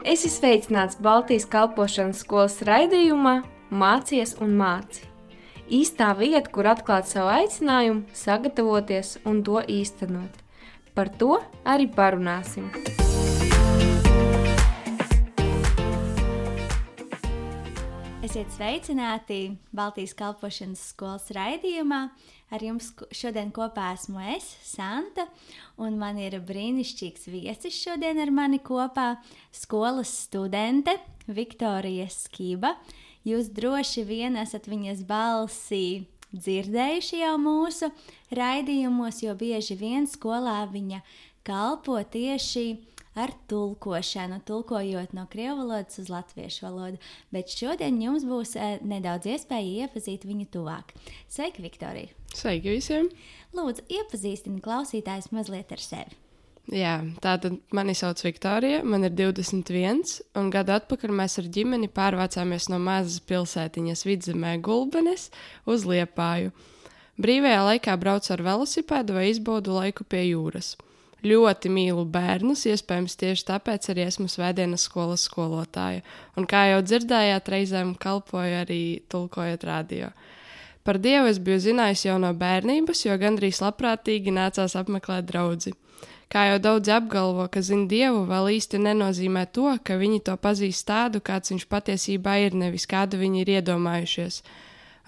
Esi sveicināts Baltijas kalpošanas skolas raidījumā Mācies un māci. Īstā vieta, kur atklāt savu aicinājumu, sagatavoties un to īstenot. Par to arī parunāsim. Esiet sveicināti Baltijas kalpošanas skolas raidījumā. Ar jums šodien kopā esmu es, Santa, un man ir brīnišķīgs viesis šodien ar mani kopā, skolas studente Viktorija Skiba. Jūs droši vien esat viņas balsī dzirdējuši jau mūsu raidījumos, jo bieži vien skolā viņa kalpo tieši ar tulkošanu, tulkojot no krievu valodas uz latviešu valodu. Bet šodien jums būs nedaudz iespēja iepazīt viņu tuvāk. Sveiki, Viktorija! Sveiki visiem! Lūdzu, iepazīstini klausītājus mazliet ar sevi. Jā, tātad mani sauc Viktorija, man ir 21, un gadu atpakaļ mēs ar ģimeni pārvācāmies no mazas pilsētiņas Vidzemē Gulbenes uz Liepāju. Brīvajā laikā braucu ar velosipēdu vai izbaudu laiku pie jūras. Ļoti mīlu bērnus, iespējams tieši tāpēc arī esmu svētdienas skolas skolotāja. Un kā jau dzirdējāt, reizēm kalpoju arī tulkojot radio. Par Dievu es biju zinājis jau no bērnības, jo gandrīz labprātīgi nācās apmeklēt draudzi. Kā jau daudzi apgalvo, ka zina Dievu, vēl īsti nenozīmē to, ka viņi to pazīst tādu, kāds viņš patiesībā ir, nevis kādu viņi ir iedomājušies.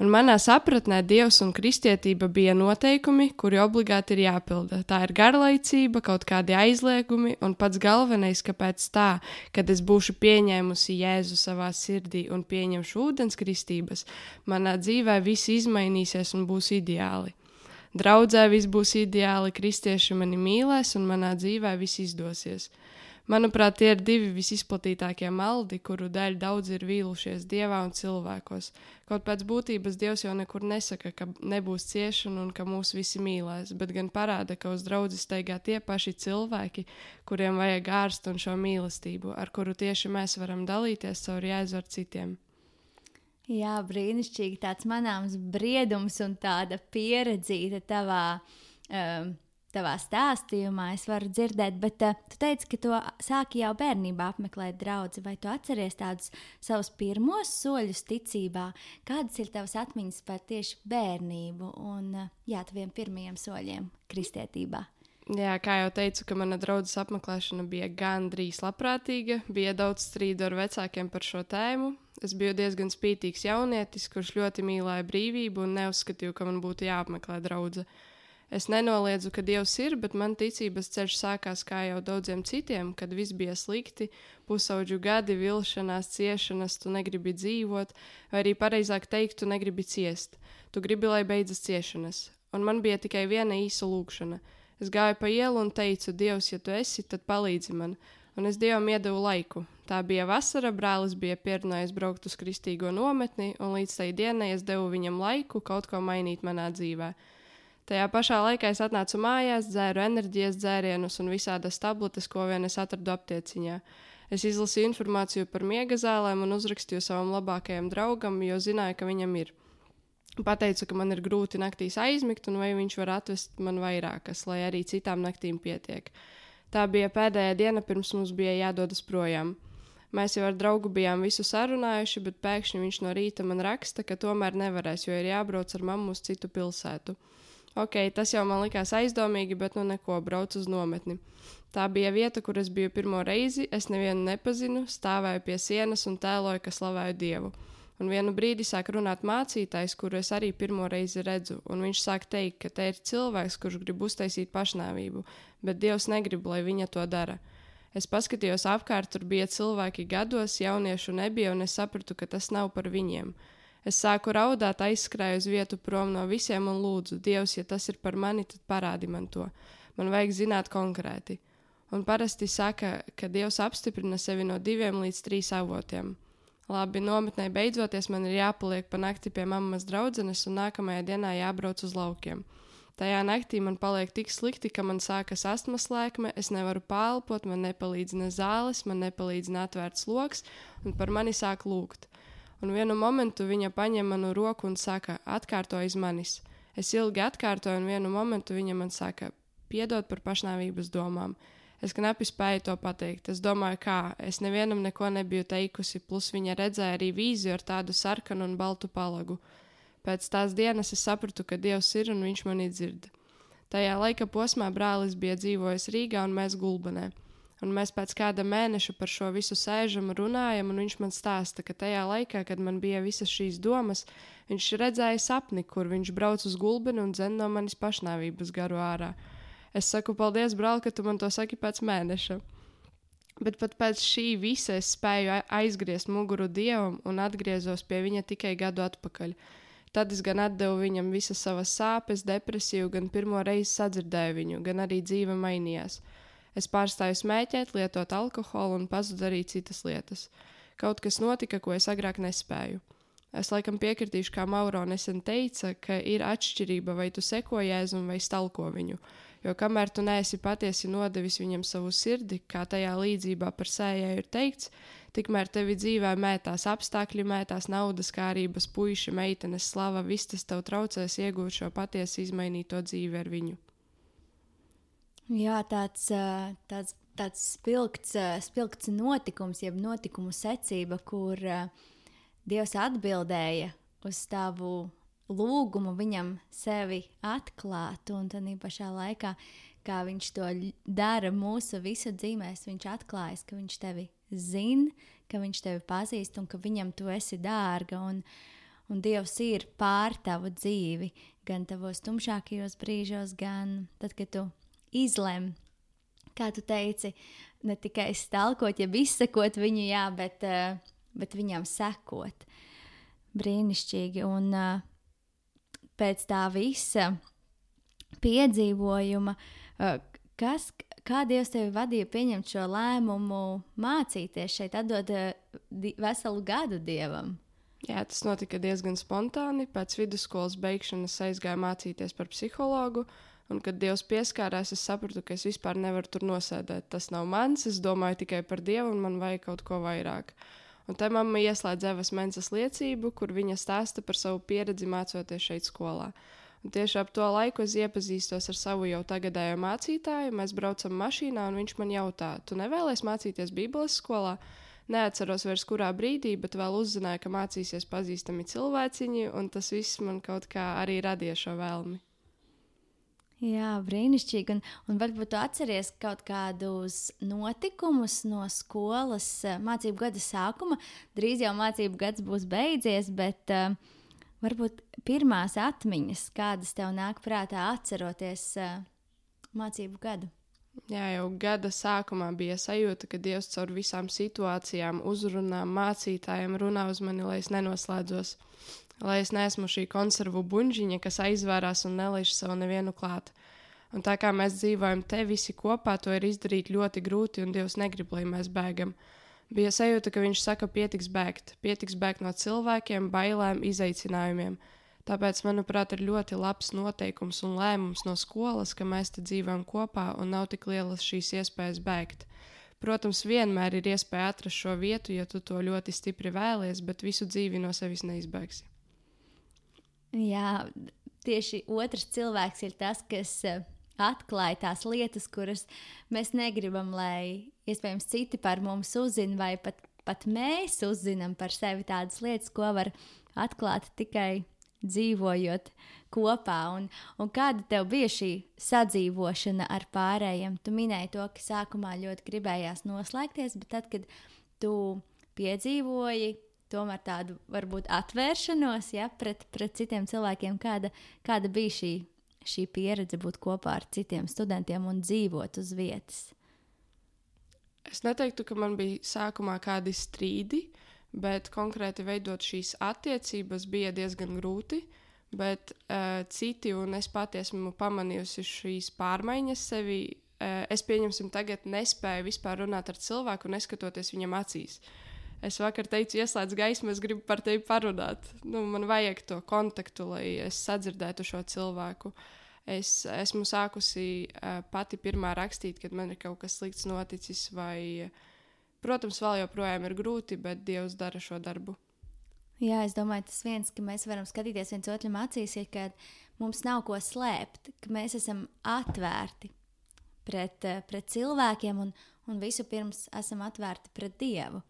Un manā sapratnē Dievs un kristietība bija noteikumi, kuri obligāti ir jāpilda. Tā ir garlaicība, kaut kādi aizliegumi, un pats galvenais, kāpēc tā, kad es būšu pieņēmusi Jēzu savā sirdī un pieņemšu ūdens kristības, manā dzīvē viss izmainīsies un būs ideāli. Draudzē viss būs ideāli, kristieši mani mīlēs un manā dzīvē viss izdosies. Manuprāt, tie ir divi visizplatītākie maldi, kuru dēļ daudzi ir vīlušies Dievā un cilvēkos. Kaut pēc būtības Dievs jau nekur nesaka, ka nebūs ciešana un ka mūs visi mīlēs, bet gan parāda, ka uz draudzi steigā tie paši cilvēki, kuriem vajag ārstu un šo mīlestību, ar kuru tieši mēs varam dalīties caur Jēzu ar citiem. Jā, brīnišķīgi tāds manāms briedums un tāda pieredzīta tavā stāstījumā es varu dzirdēt, bet tu teici, ka to sāki jau bērnībā apmeklēt draudzi, vai tu atceries tādus savus pirmos soļus ticībā? Kādas ir tavas atmiņas par tieši bērnību un taviem pirmajiem soļiem kristietībā? Jā, kā jau teicu, ka mana draudzes apmeklēšana bija gandrīz labprātīga, bija daudz strīdu ar vecākiem par šo tēmu. Es biju diezgan spītīgs jaunietis, kurš ļoti mīlēja brīvību un neuzskatīju, ka man būtu jāapmeklē draudze. Es nenoliedzu, ka Dievs ir, bet man ticības ceļš sākās kā jau daudziem citiem, kad viss bija slikti, pusauģu gadi, vilšanās, ciešanas, tu negribi dzīvot, vai arī pareizāk teikt, tu negribi ciest. Tu gribi, lai beidzas ciešanas. Un man bija tikai viena īsa lūkšana. Es gāju pa ielu un teicu, Dievs, ja tu esi, tad palīdzi man. Un es Dievam iedevu laiku. Tā bija vasara, brālis bija pierunājis braukt uz kristīgo nometni, un līdz tai dienai es devu viņam laiku kaut ko mainīt manā dzīvē. Tajā pašā laikā es atnācu mājās, dzēru enerģijas dzērienus un visādas tabletes, ko vien es atradu aptieciņā. Es izlasīju informāciju par miega zālēm un uzrakstīju savam labākajam draugam, jo zināju, ka viņam ir. Pateicu, ka man ir grūti naktīs aizmigt un vai viņš var atvest man vairākas, lai arī citām naktīm pietiek. Tā bija pēdējā diena, pirms mums bija jādodas projām. Mēs jau ar draugu bijām visu sarunājuši, bet pēkšņi viņš no rīta man raksta, ka tomēr nevarēs, jo ir jābrauc ar mammu uz citu pilsētu. Ok, tas jau man likās aizdomīgi, bet nu neko, braucu uz nometni. Tā bija vieta, kur es biju pirmo reizi, es nevienu nepazinu, stāvēju pie sienas un tēloju, ka slavēju Dievu. Un vienu brīdi sāk runāt mācītājs, kuru es arī pirmo reizi redzu, un viņš sāk teikt, ka te ir cilvēks, kurš grib uztaisīt pašnāvību, bet Dievs negrib, lai viņa to dara. Es paskatījos apkārt, tur bija cilvēki gados, jauniešu nebija, un es sapratu, ka tas nav par viņiem. Es sāku raudāt, aizskrēju uz vietu prom no visiem un lūdzu, Dievs, ja tas ir par mani, tad parādi man to. Man vajag zināt konkrēti. Un parasti saka, ka Dievs apstiprina sevi no 2 līdz 3 avotiem. Labi, nometnē beidzoties man ir jāpaliek pa nakti pie mammas draudzenes un nākamajā dienā jābrauc uz laukiem. Tajā naktī man paliek tik slikti, ka man sākas astmas lēkme, es nevaru pālpot, man nepalīdz ne zāles, man nepalīdz ne atvērts loks, un par mani sāk lūgt. Un vienu momentu viņa paņem manu roku un saka, atkārto aiz manis. Es ilgi atkārtoju, un vienu momentu viņa man saka, piedod par pašnāvības domām. Es knapi spēju to pateikt. Es domāju, kā. Es nevienam neko nebiju teikusi, plus viņa redzēja arī vīziju ar tādu sarkanu un baltu palagu. Pēc tās dienas es sapratu, ka Dievs ir un viņš mani dzird. Tajā laika posmā brālis bija dzīvojis Rīgā un mēs Gulbenē. Un mēs pēc kāda mēneša par šo visu sēžam un runājam, un viņš man stāsta, ka tajā laikā, kad man bija visas šīs domas, viņš redzēja sapni, kur viņš brauc uz Gulbeni un dzen no manis pašnāvības garu ārā. Es saku, paldies, brāl, ka tu man to saki pēc mēneša. Bet pat pēc šī visa es spēju aizgriezt muguru Dievam un atgriezos pie viņa tikai gadu atpakaļ. Tad es gan atdevu viņam visas savas sāpes, depresiju, gan pirmo reizi sadzirdēju viņu, gan arī dzīve mainījās. Es pārstāju smēķēt, lietot alkoholu un pazudu arī citas lietas. Kaut kas notika, ko es agrāk nespēju. Es laikam piekritīšu, kā Mauro nesen teica, ka ir atšķirība, vai tu seko Jēzum vai stalko viņu. Jo kamēr tu neesi patiesi nodevis viņam savu sirdi, kā tajā līdzībā par sējēju ir teikts, tikmēr tevi dzīvē mētās apstākļi, mētās naudas, kārības, puiši, meitenes, slava, viss tas tev traucēs iegūt šo patiesi izmainīto dzīvi ar viņu. Jā, tāds spilgts notikums, jeb notikumu secība, kur Dievs atbildēja uz tavu lūgumu viņam sevi atklāt, un tad pašā laikā, kā viņš to dara mūsu visu dzīvēs, viņš atklājas, ka viņš tevi zina, ka viņš tevi pazīst un ka viņam tu esi dārga, un Dievs ir pār tavu dzīvi, gan tavos tumšākajos brīžos, gan tad, kad tu izlem, kā tu teici, ne tikai stalkot, jeb izsekot viņu, jā, bet viņam sekot. Brīnišķīgi, un pēc tā visa piedzīvojuma, kā Dievs tevi vadīja pieņemt šo lēmumu mācīties šeit, atdot veselu gadu Dievam? Jā, tas notika diezgan spontāni. Pēc vidusskolas beigšanas aizgāju mācīties par psihologu, un kad Dievs pieskārās, es sapratu, ka es vispār nevaru tur nosēdēt. Tas nav mans, es domāju tikai par Dievu, un man vajag kaut ko vairāk. Un te mamma ieslēdz Evas Mensas liecību, kur viņa stāsta par savu pieredzi mācoties šeit skolā. Un tieši ap to laiku es iepazīstos ar savu jau tagadējo mācītāju, mēs braucam mašīnā, un viņš man jautā, tu nevēlies mācīties Bībeles skolā? Neatceros vairs kurā brīdī, bet vēl uzzināju, ka mācīsies pazīstami cilvēciņi, un tas viss man kaut kā arī radīja šo vēlmi. Jā, brīnišķīgi. Un varbūt tu atceries kaut kādus notikumus no skolas mācību gada sākuma. Drīz jau mācību gads būs beidzies, bet varbūt pirmās atmiņas, kādas tev nāk prātā atceroties mācību gadu. Jā, jau gada sākumā bija sajūta, ka Dievs caur visām situācijām, uzrunām, mācītājiem runā uz mani, lai es nenoslēdzos. Lai es neesmu šī konservu buņģiņa, kas aizvērās un nelaiž savu nevienu klāt. Un tā kā mēs dzīvojam te visi kopā, to ir izdarīt ļoti grūti, un Dievs negrib, lai mēs bēgam. Bija sajūta, ka viņš saka, pietiks bēgt no cilvēkiem, bailēm, izaicinājumiem. Tāpēc, manuprāt, ir ļoti labs noteikums un lēmums no skolas, ka mēs te dzīvojam kopā un nav tik lielas šīs iespējas bēgt. Protams, vienmēr ir iespēja atrast šo vietu, ja tu to ļoti stipri vēlies, bet visu dzīvi no sevis neizbēgsi. Jā, tieši otrs cilvēks ir tas, kas atklāja tās lietas, kuras mēs negribam, lai iespējams citi par mums uzzina, vai pat mēs uzzinām par sevi tādas lietas, ko var atklāt tikai dzīvojot kopā. Un kāda tev bija šī sadzīvošana ar pārējiem? Tu minēji to, ka sākumā ļoti gribējās noslēgties, bet tad, kad tu piedzīvoji tomēr tādu varbūt atvēršanos, ja, pret citiem cilvēkiem, kāda bija šī pieredze būt kopā ar citiem studentiem un dzīvot uz vietas? Es neteiktu, ka man bija sākumā kādi strīdi, bet konkrēti veidot šīs attiecības bija diezgan grūti, bet citi un es pati esmu pamanījusi šīs pārmaiņas sevi. Es pieņemsim tagad nespēju vispār runāt ar cilvēku, neskatoties viņam acīs. Es vakar teicu, ieslēdz gaismu, es gribu par tevi parunāt. Man vajag to kontaktu, lai es sadzirdētu šo cilvēku. Es esmu sākusi pati pirmā rakstīt, kad man ir kaut kas slikts noticis, vai, protams, vēl joprojām ir grūti, bet Dievs dara šo darbu. Jā, es domāju, tas viens, ka mēs varam skatīties viens otram acīs, ir, ka mums nav ko slēpt, ka mēs esam atvērti pret cilvēkiem un visu pirms esam atvērti pret Dievu.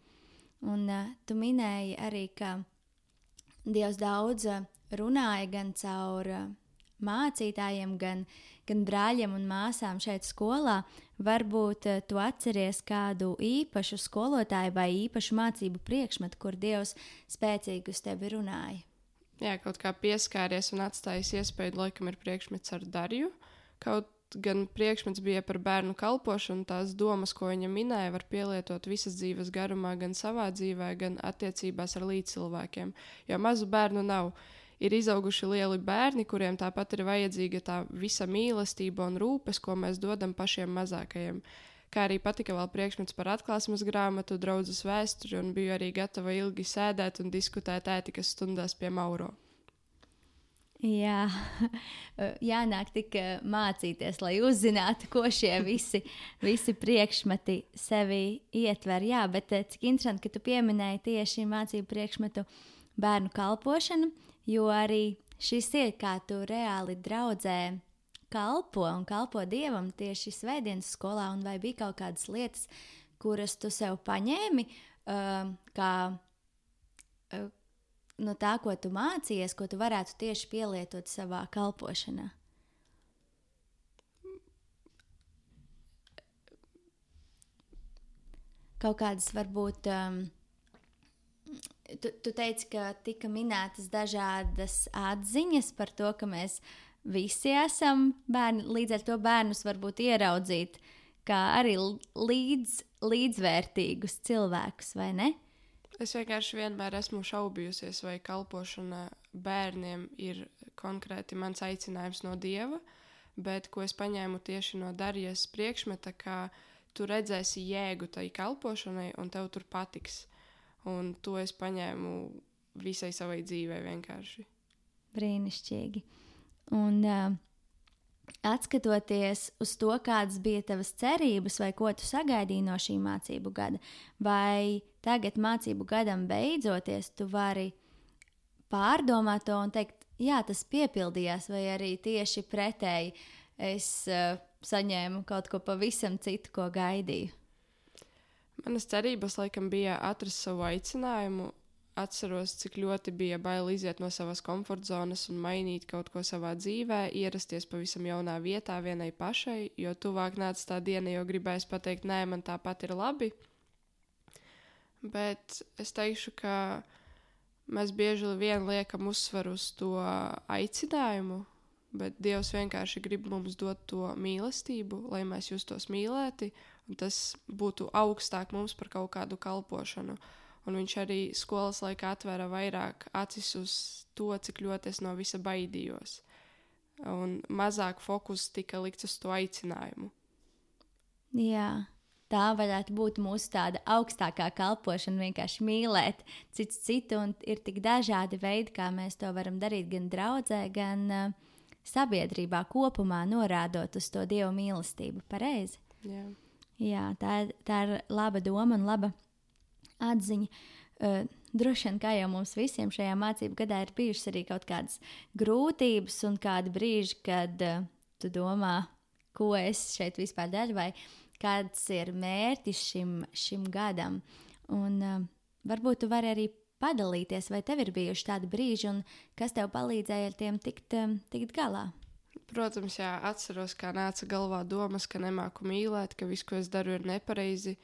Un tu minēji arī, ka Dievs daudz runāja gan caur mācītājiem, gan brāļiem un māsām šeit skolā. Varbūt tu atceries kādu īpašu skolotāju vai īpašu mācību priekšmetu, kur Dievs spēcīgi uz tevi runāja. Jā, kaut kā pieskāries un atstājis iespēju, laikam ir priekšmets ar Darju. Kaut gan priekšmets bija par bērnu kalpošanu, tās domas, ko viņa minēja, var pielietot visas dzīves garumā, gan savā dzīvē, gan attiecībās ar līdzcilvēkiem. Jo mazu bērnu nav. Ir izauguši lieli bērni, kuriem tāpat ir vajadzīga tā visa mīlestība un rūpes, ko mēs dodam pašiem mazākajiem. Kā arī patika vēl priekšmets par atklāsmes grāmatu, draudzes vēsturi, un biju arī gatava ilgi sēdēt un diskutēt ētikas stundās pie Mauro. Jā, jānāk tik mācīties, lai uzzinātu, ko šie visi priekšmeti sevi ietver. Jā, bet cik interesanti, ka tu pieminēji tieši mācību priekšmetu bērnu kalpošanu, jo arī šis ir, kā tu reāli draudzē kalpo un kalpo Dievam tieši svētdienas skolā, un vai bija kaut kādas lietas, kuras tu sev paņēmi, kā no tā, ko tu mācījies, ko tu varētu tieši pielietot savā kalpošanā? Kaut kādas varbūt, tu teici, ka tika minētas dažādas atziņas par to, ka mēs visi esam bērni, līdz ar to bērnus varbūt ieraudzīt kā arī līdzvērtīgus cilvēkus, vai ne? Es vienkārši vienmēr esmu šaubījusies, vai kalpošana bērniem ir konkrēti mans aicinājums no Dieva, bet ko es paņēmu tieši no Darijas priekšmeta, ka tu redzēsi jēgu tai kalpošanai un tev tur patiks. Un to es paņēmu visai savai dzīvei vienkārši. Brīnišķīgi. Un atskatoties uz to, kādas bija tavas cerības vai ko tu sagaidīji no šī mācību gada, vai tagad mācību gadam beidzoties, tu vari pārdomāt to un teikt, jā, tas piepildījās, vai arī tieši pretēji es saņēmu kaut ko pavisam citu, ko gaidīju? Manas cerības laikam bija atrast savu aicinājumu. Atceros, cik ļoti bija bail iziet no savas komfortzonas un mainīt kaut ko savā dzīvē, ierasties pavisam jaunā vietā vienai pašai, jo tuvāk nāca tā diena, jo gribēs pateikt, nē, man tāpat ir labi. Bet es teikšu, ka mēs bieži vien liekam uzsvaru uz to aicinājumu, bet Dievs vienkārši grib mums dot to mīlestību, lai mēs justos mīlēti, un tas būtu augstāk mums par kaut kādu kalpošanu. Un viņš arī skolas laikā atvēra vairāk acis uz to, cik ļoti es no visa baidījos. Un mazāk fokus tika likts uz to aicinājumu. Jā, tā varētu būt mūsu tāda augstākā kalpošana, vienkārši mīlēt citu, un ir tik dažādi veidi, kā mēs to varam darīt gan draudzē, gan sabiedrībā kopumā, norādot uz to Dieva mīlestību. Pareizi? Jā. Jā, tā ir laba doma un laba atziņa. Droši vien, kā jau mums visiem šajā mācību gadā ir bijušas arī kaut kādas grūtības un kādi brīži, kad tu domā, ko es šeit vispār daru, vai kāds ir mērķis šim gadam. Un varbūt tu vari arī padalīties, vai tev ir bijuši tādi brīži, un kas tev palīdzēja ar tiem tikt galā? Protams, jā, atceros, kā nāca galvā domas, ka nemāku mīlēt, ka viss, ko es daru, ir nepareizi.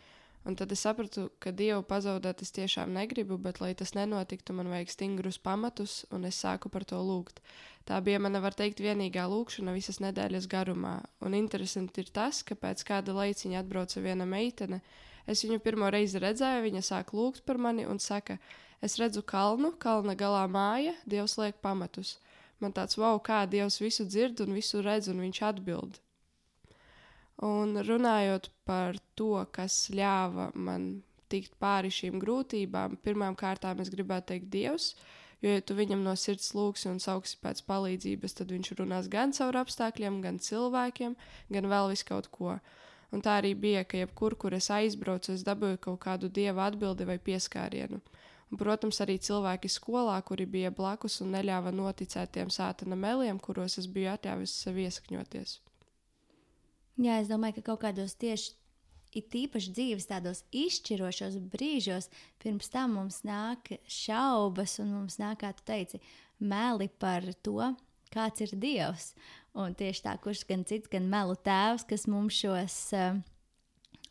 Un tad es sapratu, ka Dievu pazaudēt es tiešām negribu, bet, lai tas nenotiktu, man vajag stingrus pamatus, un es sāku par to lūgt. Tā bija mana, var teikt, vienīgā lūkšana visas nedēļas garumā. Un interesanti ir tas, ka pēc kāda laiciņa atbrauca viena meitene. Es viņu pirmo reizi redzēju, viņa sāk lūgt par mani un saka, es redzu kalnu, kalna galā māja, Dievs liek pamatus. Man tāds, wow, kā Dievs visu dzird un visu redz, un viņš atbild. Un runājot par to, kas ļāva man tikt pāri šīm grūtībām, pirmām kārtām es gribētu teikt Dievs, jo, ja tu viņam no sirds lūgsi un sauksi pēc palīdzības, tad viņš runās gan caur apstākļiem, gan cilvēkiem, gan vēl visu kaut ko. Un tā arī bija, ka jebkur, kur es aizbraucu, es dabūju kaut kādu Dieva atbildi vai pieskārienu. Un, protams, arī cilvēki skolā, kuri bija blakus un neļāva noticēt tiem sātana meliem, kuros es biju atļāvis sev iesakņoties. Jā, es domāju, ka kaut kādos tieši it īpaši dzīves tādos izšķirošos brīžos, pirms tam mums nāk šaubas un mums nāk, kā tu teici, meli par to, kāds ir Dievs. Un tieši tā, kurš gan cits, gan melu tēvs, kas mums šos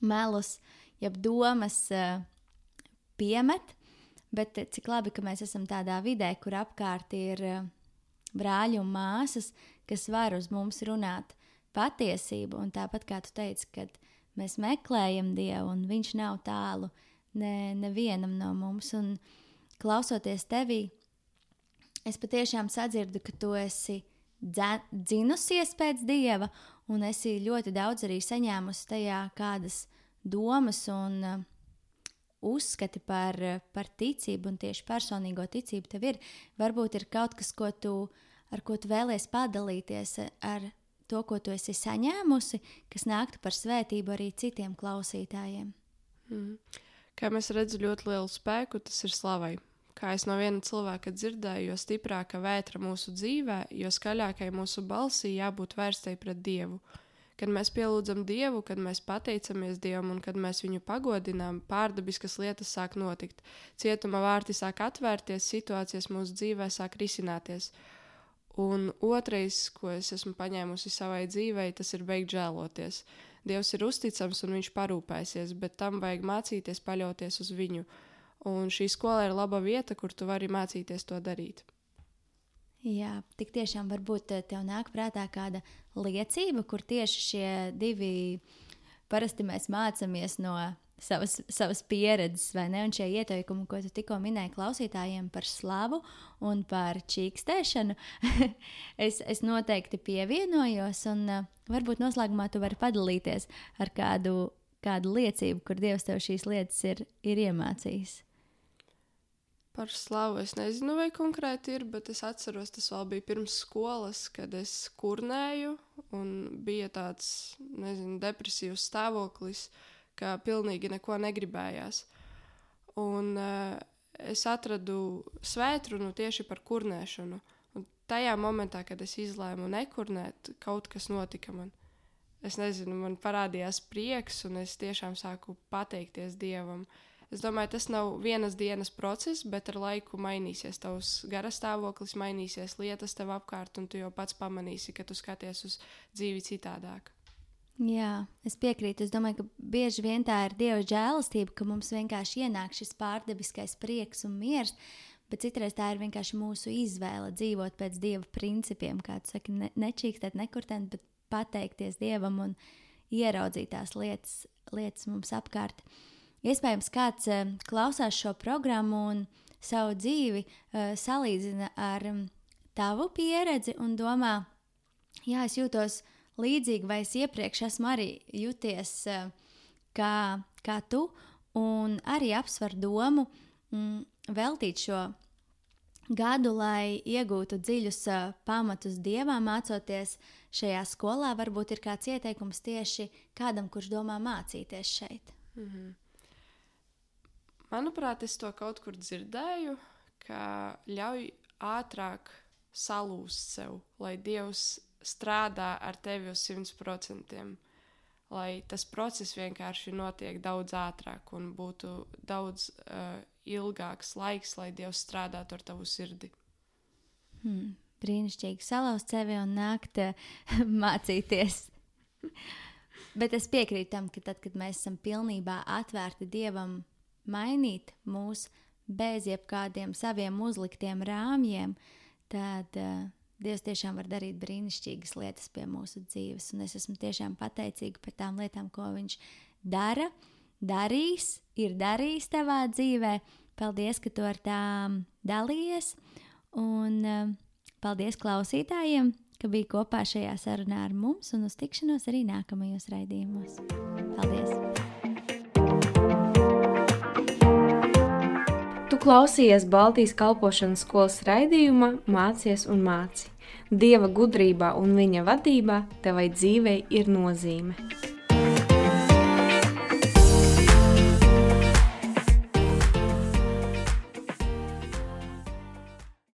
melus, jeb domas piemet, bet cik labi, ka mēs esam tādā vidē, kur apkārt ir brāļi un māsas, kas var uz mums runāt patiesību, un tāpat kā tu teici, kad mēs meklējam Dievu, un viņš nav tālu nevienam no mums. Un klausoties tevī, es patiešām sadzirdu, ka tu esi dzinusies pēc Dieva, un esi ļoti daudz arī saņēmusi tajā kādas domas un uzskati par ticību, un tieši personīgo ticību tev ir. Varbūt ir kaut kas, ar ko tu vēlies padalīties ar to, ko tu esi saņēmusi, kas nāktu par svētību arī citiem klausītājiem. Kā mēs redzam ļoti lielu spēku, tas ir slavai. Kā es no viena cilvēka dzirdēju, jo stiprāka vētra mūsu dzīvē, jo skaļākai mūsu balsī jābūt vērstai pret Dievu. Kad mēs pielūdzam Dievu, kad mēs pateicamies Dievam un kad mēs viņu pagodinām, pārdabiskas lietas sāk notikt. Cietuma vārti sāk atvērties, situācijas mūsu dzīvē sāk risināties. Un otrais, ko es esmu paņēmusi savai dzīvei, tas ir beigt žēloties. Dievs ir uzticams un viņš parūpēsies, bet tam vajag mācīties paļauties uz viņu. Un šī skola ir laba vieta, kur tu vari mācīties to darīt. Jā, tik tiešām varbūt tev nāk prātā kāda liecība, kur tieši šie divi, parasti mēs mācāmies no savas pieredzes, vai ne? Un šie ieteikumi, ko tu tikko minēji klausītājiem par slavu un par čīkstēšanu, es noteikti pievienojos, un varbūt noslēgumā tu vari padalīties ar kādu liecību, kur Dievs tev šīs lietas ir iemācījis. Par slavu es nezinu, vai konkrēti ir, bet es atceros, tas vēl bija pirms skolas, kad es kurnēju, un bija tāds, depresīvs stāvoklis, ka pilnīgi neko negribējās. Un es atradu svētrunu tieši par kurnēšanu. Un tajā momentā, kad es izlēmu nekurnēt, kaut kas notika man. Es nezinu, man parādījās prieks, un es tiešām sāku pateikties Dievam. Es domāju, tas nav vienas dienas process, bet ar laiku mainīsies tavs garastāvoklis, mainīsies lietas tev apkārt, un tu jau pats pamanīsi, ka tu skaties uz dzīvi citādāk. Jā, es piekrītu. Es domāju, ka bieži vien tā ir Dieva žēlastība, ka mums vienkārši ienāk šis pārdabiskais prieks un miers, bet citreiz tā ir vienkārši mūsu izvēle dzīvot pēc Dieva principiem, kā tu saki, nečīkstēt, nekurtēt, bet pateikties Dievam un ieraudzīt tās lietas mums apkārt. Iespējams, kāds klausās šo programmu un savu dzīvi salīdzina ar tavu pieredzi un domā, jā, es jūtos līdzīgi, vai es iepriekš esmu arī jūties kā tu, un arī apsver domu veltīt šo gadu, lai iegūtu dziļus pamatus Dievā, mācoties šajā skolā. Varbūt ir kāds ieteikums tieši kādam, kurš domā mācīties šeit. Manuprāt, es to kaut kur dzirdēju, ka ļauj ātrāk salūst sev, lai Dievs strādā ar tevi uz 100%, lai tas process vienkārši notiek daudz ātrāk un būtu daudz ilgāks laiks, lai Dievs strādātu ar tavu sirdi. Brīnišķīgi salauzt sevi un nākt mācīties. Bet es piekrītu tam, ka tad, kad mēs esam pilnībā atvērti Dievam mainīt mūs bez jebkādiem saviem uzliktiem rāmjiem, tad Dievs tiešām var darīt brīnišķīgas lietas pie mūsu dzīves. Un es esmu tiešām pateicīga par tām lietām, ko viņš ir darījis tavā dzīvē. Paldies, ka tu ar tām dalījies. Un paldies klausītājiem, ka bija kopā šajā sarunā ar mums, un uz tikšanos arī nākamajos raidījumos. Paldies! Tu klausījies Baltijas kalpošanas skolas raidījumā Mācies un māci. Dieva gudrībā un viņa vadībā tevai dzīvei ir nozīme.